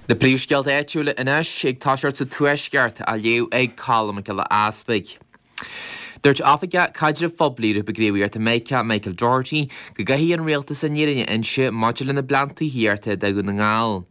Na príomhscéalta áitiúla anois ag toiseacht sa Tuaisceart, á léamh ag Colm Mac Giolla Easpaig. Dúirt Oifigeach Caidrimh Phoiblí Ghrúpa Gníomhaíochta Mica, Michael Doherty, go gcaithfidh an Rialtas an fhírinne a inse maidir lena bplean tithíochta do Dhún na nGall.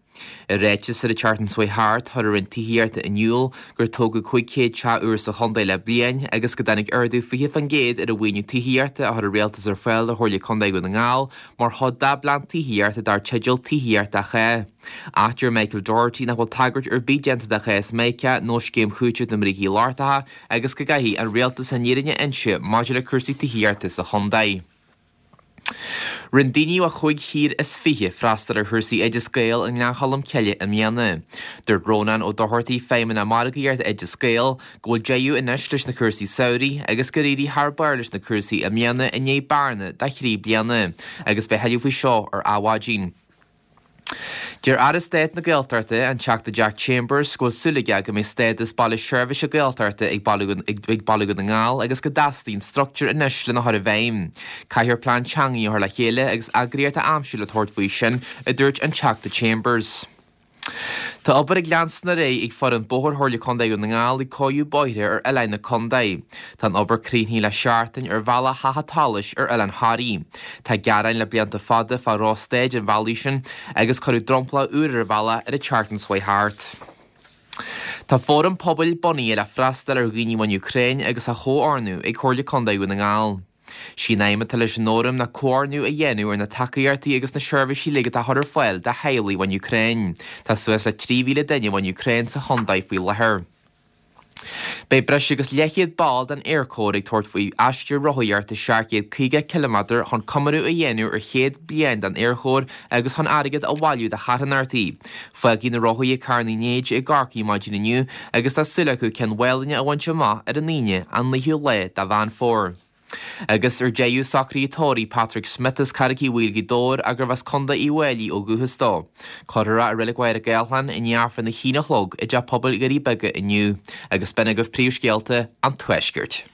I ráiteas ar an tseachtain seo thart, chuir an Roinn Tithíochta in iúl gur tógadh 500 teach úr sa chontae le bliain agus go dtáinig ardú 20% ar an mhaoiniú tithíochta a chuir an Rialtas ar fáil do Chomhairle Contae Dhún na nGall mar chuid dá bplean tithíochta dar teideal Tithíocht do Chách. Ach deir Michael Doherty nach bhfuil tagairt ar bith déanta do chás Mica nó scéim chúitimh na mbrící lochtacha agus go gcaithfidh an Rialtas an fhírinne a inse maidir le cúrsaí tithíochta sa chontae. Rinne daoine ó chúig thír is 20 freastal ar chúrsaí Oideas Gael i nGleann Cholm Cille i mbliana. Dúirt Rónán Ó Dochartaigh, Feidhmeannach Margaíochta Oideas Gael, go bhfuil deireadh anois leis na cúrsaí samhraidh agus gur éirigh thar barr leis na cúrsaí i mbliana i ndiaidh bearna de thrí bliana agus beidh thuilleadh faoi seo ar Adhmhaidin. Deir Aire Stáit na Gaeltachta, an Teachta Jack Chambers, go bhfuil súil aige go mbeidh stádas baile seirbhíse Gaeltachta ag Baile Dhún na nGall agus go dteastaíonn struchtúr anois lena chur i bhfeidhm. Caithfear plean teanga a chur le chéile agus eagraíocht a aimsiú le tabhairt faoi sin, a dúirt an Teachta Chambers. Tá obair ag leanstan ar aghaidh ag foireann bóthair Chomhairle Contae Dhún na nGall ag cóiriú bóithre ar oileáin na contae. Tá an obair críochnaithe le seachtain ar bhealach Theach an tSolais ar Oileán Thoraí. Tá gearáin le blianta fada fá dhrochstaid an bhealaigh sin agus cuireadh dromchla úr ar an bhealach ar an tseachtain seo thart. Tá fóram pobail bunaithe le freastal ar dhaoine ón Úcráin agus á chomhordú ag Comhairle Contae Dhún na nGall. Sí an aidhm atá leis an fhóram ná comhordú a dhéanamh ar na tacaíochtaí agus na seirbhísí uilig atá á chur ar fáil do theaghlaigh ón Úcráin. Tá suas le 3,000 duine ón Úcráin sa chontae faoi láthair. Beidh breis agus leathchéad ball den Aerchór ag tabhairt faoi aistear rothaíochta 750 ciliméadar chun comóradh a dhéanamh ar chéad bliain den Aerchór agus chun airgead a bhailiú do charthanachtaí. Fágfaidh na rothaithe Carn Uí Néid i gCorcaigh maidin inniu agus tá súil acu Cionn Mhálanna a bhaint amach ar an Aoine, an 9ú lá de Mheán Fómhair. Agus ar deireadh, socruithe tórraimh Patrick Smith as Carraig Uí Bhaoill Ghaoth Dobhair gurbh as Contae Uíbh Fhailí ó dhúchas dó. Cuirfear é i Reilig Mhachaire Gathlán i ndiaidh Aifreann a haon a chlog i dTeach Pobail Dhoirí Beaga inniu. Agus b'in agaibh príomhscéalta an Tuaiscirt.